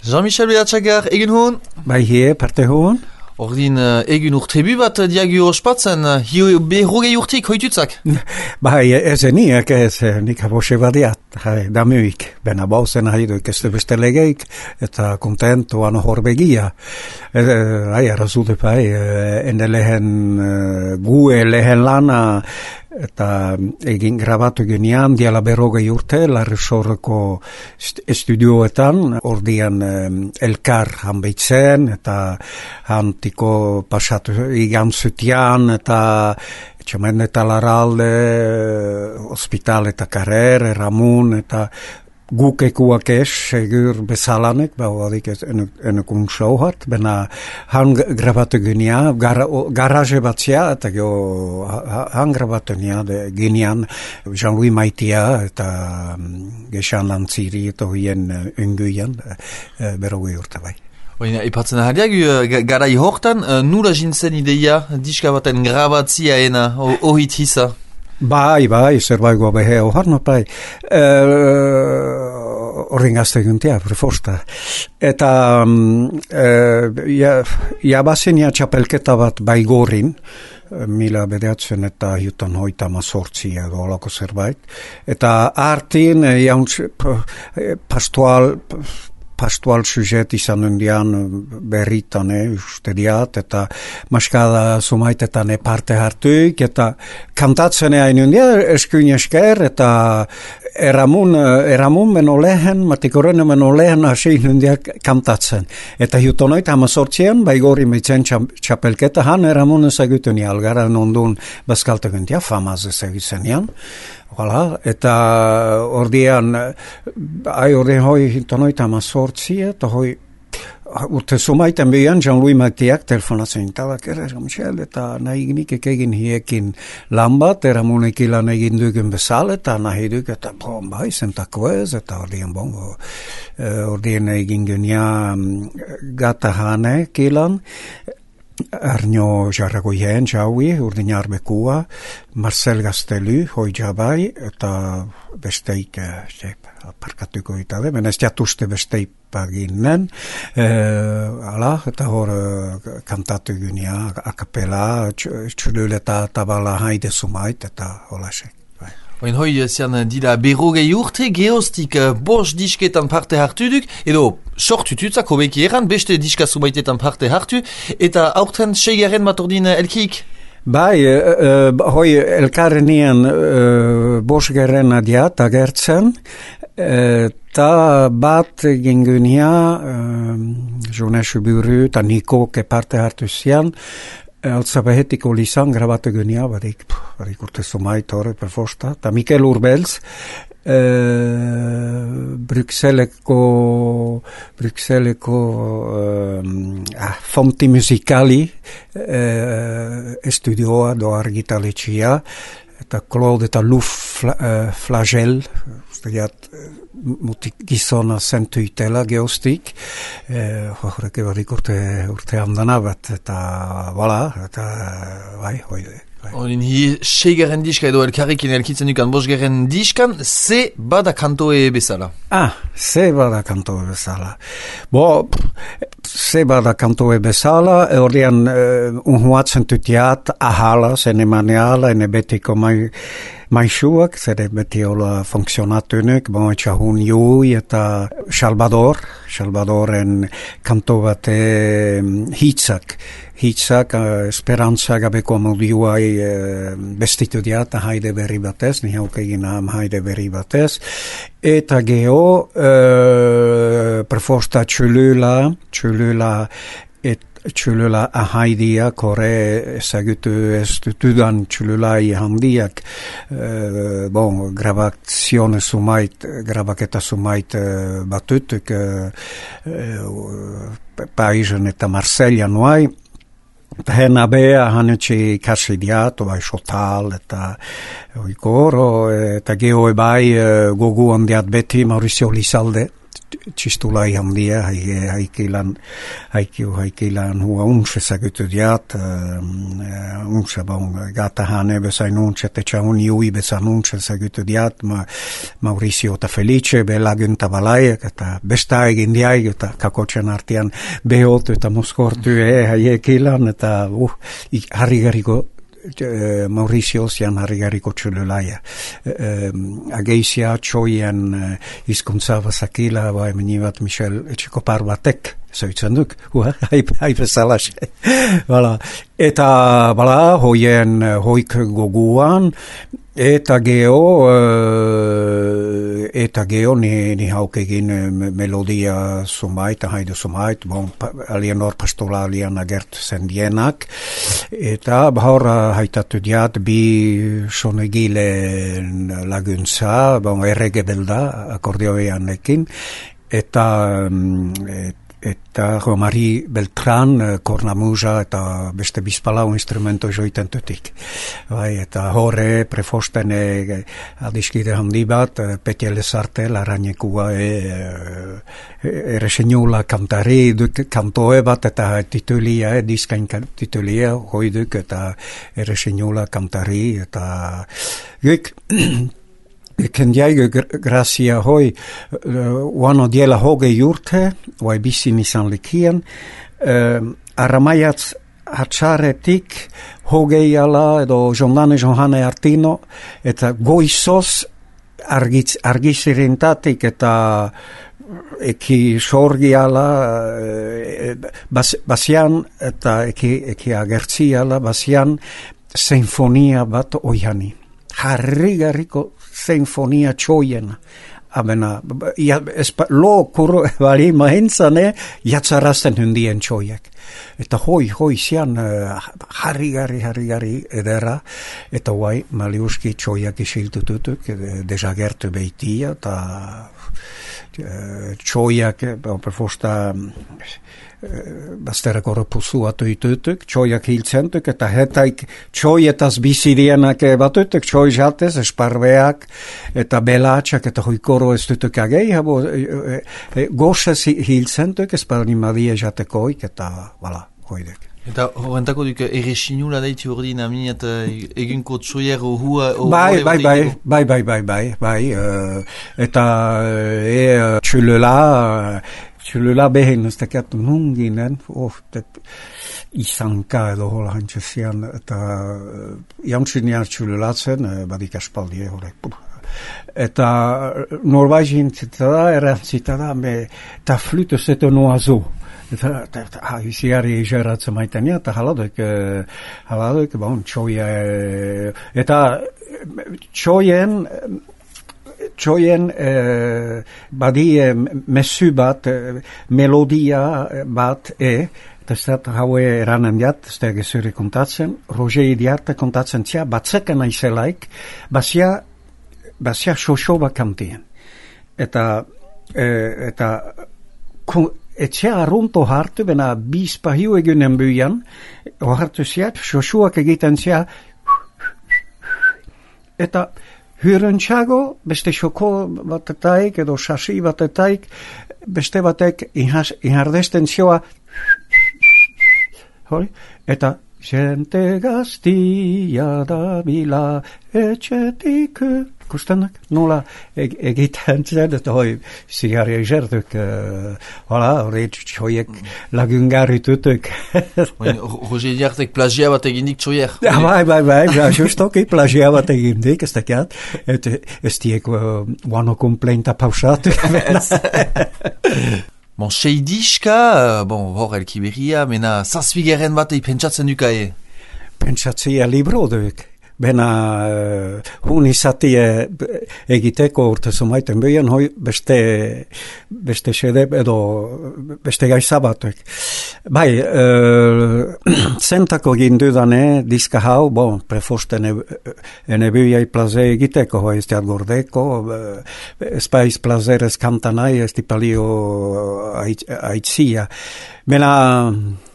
Jean-Michel Behatxagar, egin hon? Bai parte hon? Ordin egin urtebi bat diagio ospatzen, berrogei urtik hoitutzak? Bai, nik habose badiat, damuik, bena bauzen haiduik ez beste legeik, eta kontentuan horbegia. Arrazude bai, ene lehen gue lehen lana, eta egin grabatu ginean diala berrogei urte Larresorreko estudioetan, ordian elkar hanbeitzen, eta hantiko pasatu igan zutian, eta etxamen eta laralde, hospital eta karer, Ramun, eta gukekuak segur bezalanek, bauadik enekun showhat, bena han grabatu ginean, garaje batzia, eta han grabatu ginean Jean-Louis Maitia, eta gesan lantziri, eta hoien unguian, berrogei urte bai. Ipatzen ahadiak, garai hortan, nula jintzen ideia, diska baten grabatzia ena, ohit hisa? Bai, zerbait behe oharno bai. Horren gazte guntia, prefosta. Eta jabazen txapelketa bat Baigorin, mila bedeatzen eta hiutan hoita mazortzi edo olako zerbait. Eta artin, pastual sujet izan undian berritan, uste diat, eta maskada sumaitetan parte hartuik, eta kantatzen hain undia, eskuin esker, eta eramun meno lehen, matikoren meno lehen hasein undia kantatzen. Eta hiutonoit hamazortzian, Baigori meitzen txapelketa, han eramun ezagutzen algara nondun bazkalteguntia, famaz ezagutzen jan. Hala, eta ordean hoi tonoita mazortzi, eta hoi urte sumaiten behan Jean-Louis Matiak telefonatzen tabak Jean-Michel, eta nahi egin hiekin lan bat, eramunek ilan egin dugun bezala, eta nahi duk, eta bai, zentako ez, eta ordean egin genian gata hanek ilan, Arno jarragoien jaui, urdin arbekua, Marcel Gastelu, hoi jabai, eta besteik parkatuko itale, ez jatuste besteik paginen, eta hor kantatu gunia, akapela, txululeta tabala haide sumait, eta holasek. Oin hoi zian dira berrogei urte, geostik bost disketan parte hartu duk, edo sortututzak hobeki eran, beste diska sumaitetan parte hartu, eta aurten seigaren bat ordin elkiik? Bai, hoi elkarrenien bosgeren adiat agertzen, eta bat gingunia, Jonesu Buru, eta Niko ke parte hartu zian, altzabehetiko lisan grabatu gunia, barik urte sumait horre per fosta, eta Mikel Urbels, Bruxelleko fonti musicali estudioa do argitaletxia, eta Claude eta Luf Flagel, ustegiat gizona zentu itela geostik, horreke barik urte handana bat, eta bai, hoi. Orin hi seigaren diska edo elkarrekin elkitzen dukan bosgeren diskan, ze bada kantoe bezala? Ze bada kantoe bezala. Ze bada kantoe bezala, ordean unhuatzen tutiat ahala, zene maneala, ene betiko maixuak, zere beti hola funksionatunek, etxahun jui eta Salvadoren kanto bate hitzak, esperantza gabeko amodioai bestitu diat haide berri batez, nihauk egin haide berri batez, eta geho perforsta txulula ahaidia, kore ezagutu ez dutudan txululai handiak, grabaketa sumait batutuk, Paizen eta Marsella nuai, Hena bea hanetxe kasidiat, bai xotal, eta oikoro, eta geho bai gogu handiat beti Mauricio Lizalde, txistulai handia, haikilan hua untse zagutudiat, untse, gata hane bezain untse, tetxaun iui bezan untse zagutudiat, Mauricio eta Felice, belagunta balaiak, eta besta egin diaik, eta kakotxen artian behotu eta moskortu haiekilan, eta harrigariko Mauricio zian harrigariko txululaia. Ageizia txoien izkuntza bazakila, menibat Michel etxekopar batek, zoitzen duk, haipezalaxe. Eta, hoik goguan, eta geo ni hauk egin melodia sumait, haidu sumait, alienor pastola alien agert zendienak, eta bahor haitatu diat bi sonegile laguntza, errege belda, akordioeanekin, eta Romari Beltran, kornamusa eta beste bizpalau instrumento joiten tutik. Eta horre prefosten adiskide handi bat, Petja Lezarte, Larrañekua eresenula kantari, kantoe bat eta titulia, diskain titulia, hoiduk eta eresenula kantari, eta kendiaigu grazia hoi uano diela hoge jurte, vai bisin izan likien, arramaiatz hatxaretik hogeiala edo jondane Johane Artino, eta goizos argizirintatik eta eki sorgiala basian eta eki agertziala basian sinfonia bat oiani. Harrigarriko sinfonia txoiena. Abena, lo kuru bali mahentzane jatzarazten hundien txoiek. Eta hoi zian harrigarri edera, eta guai maliuski txoiak isiltututuk, desagertu beitia, eta txoiak, perfosta basterako repusuatu itutuk, txoiak hiltzentuk, eta hetaik txoietaz bizirienak batutuk, txoi jatez, esparbeak, eta belatxak, eta hoikoro ez dutuk agei, gozes hiltzentuk, esparnimadie jatekoik, eta hoidek. Eta horrentako duk eresinula daiti ordin amin eta eginko txoier hua... Bai, eta txulula behen ez tekiatu nunginen, izanka edo hola hantxezian, eta jantzinian txululatzen, badik aspaldie horrek. Eta norbaizin zitada, erantzitada, eta flutuz eta noazu. Eta iziari izeratzen maitenia, eta haladoik, txoia, eta txoien badie mesu bat, melodia bat, eta ez da haue eranen diat, ez da gezuri kontatzen, Roger Idiarte kontatzen tia, batzeken aizelaik, basia xoxoba kantien. Eta etxea arrunto hartu, bena bizpahiu egunen buian, hartu ziat, xoxuak egiten zia, eta hyrentxago, beste xoko batetaik, edo xasi batetaik, beste batek inhardesten zioa, eta xente gaztia da bila etxetik, kustenak, nola egiten zen, eta zigarri egerduk, hori txoiek lagungarri tutuk. Roger Idiartek plagia bat egindik txoier. Bai, justoki plagia bat egindik, ez dakiat, ez diek wano kompleinta pausatu. Seidiska, hor elkiberria, mena zazpigeren bat pentsatzen dukae? Pentsatzia libro duk. Bena hun izatie egiteko urte zumaiten behien, hoi beste sedep edo beste gaizabatek. Bai, zentako gindudane diska hau, prefosten enebuiai plaze egiteko, hoi ez diat gordeko, espaiz plazerez kantanai, ez tipalio aitzia. Bena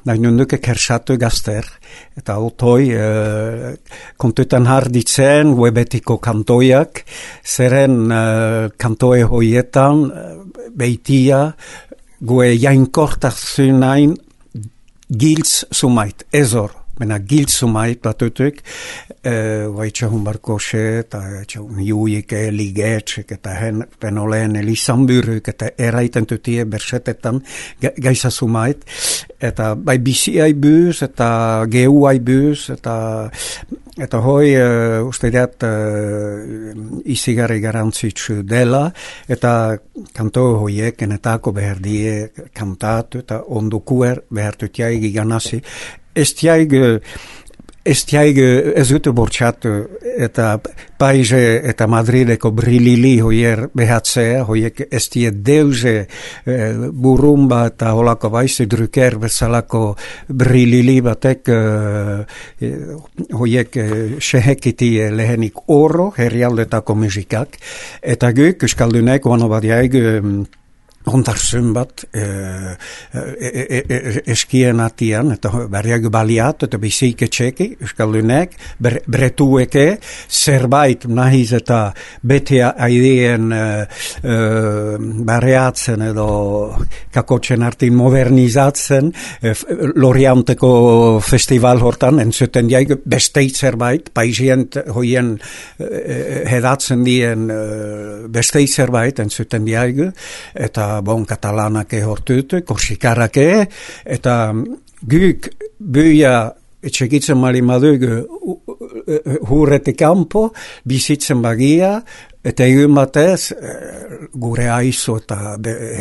nahi nunduke kersatu gazter, eta otoi kontuetan harditzen webetiko kantoiak, zeren kantoe hoietan beitia gue jainkortazunain giltz sumait, ezor. Mena giltz sumait batutuk, vaitxahun barkoxe, eta txahun juike, ligetxek, eta penoleen elizambyruk, eta eraiten tutie bersetetan gaisa sumait, eta bai bisi aibuz, eta geu aibuz, eta hoi usteideat izigarri garantzitsu dela, eta kanto hoiek enetako behar die kantatu, eta ondukuer behar tutiaigi ganasi, Estiaig ez dute bortxatu eta Paize eta Madrideko brilili hoier behatzea, hoiek estie deuze burumba eta holako baize druker bezalako brilili batek hoiek sehekitie lehenik oro herrialdetako musikak, eta guk euskaldunek oano badiaig ondartzen bat eskien atian, eta berriak baliat, eta bizike txeki, euskaldunek, bretueke, zerbait nahiz eta bete aideen barriatzen edo kakotxen artin modernizatzen, Lorianteko festival hortan, entzuten diaik besteit zerbait, paisient hoien hedatzen dien besteit zerbait, entzuten diaik, eta bon katalanake hortutu, korsikarake, eta guk buia etxekitzen marimadugu hurrete kampo, bizitzen bagia, eta egun batez, gure aizu eta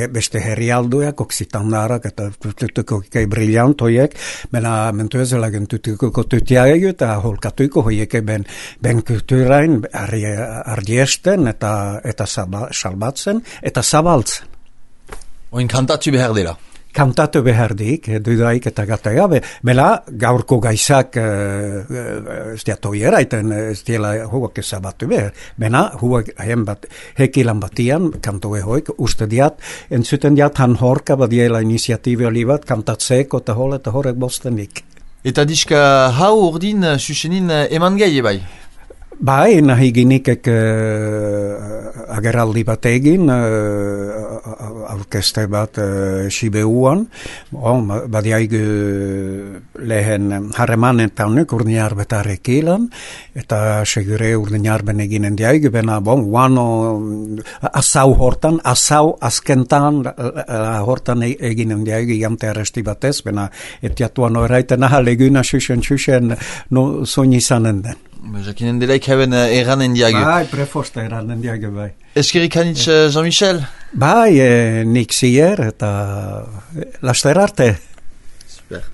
beste herrialduak, oksitandarak, eta tutuko kei brillantoiek, mena mentu ezelagen tutuko tutiaegu, eta holkatuko hoieke ben kulturain ardiesten, eta salbatzen, eta zabaltzen. Oin kantatu behar dela. Kantatu behardik, dudaik eta gataga, bela gaurko gaizak ez diatoiera, ez diela huak ezabatu behar. Bena, huak hekilan batian, kantoe hoik, uste diat, entzuten diat han horka badiela iniziatibi olibat, kantatzeko eta horrek bostenik. Eta diska hau urdin susenin eman gai bai? Bai, nahi ginikek ageraldi bat egin, aurkeste bat Sibeuan, badiaig lehen harremanetan urniar betarekilan, eta segure urniar ben eginen diaig, bena guano asau hortan, askentan hortan eginen diaig jante arresti batez, bena etiatuan oraiten ahaleguna xuxen no soin izanen den. Jakinen delaik haben eranen diagu. Bai, prefosta eranen diagu, bai. Eskerik hanitz Jean-Michel? Bai, nik zier eta laster arte. Super.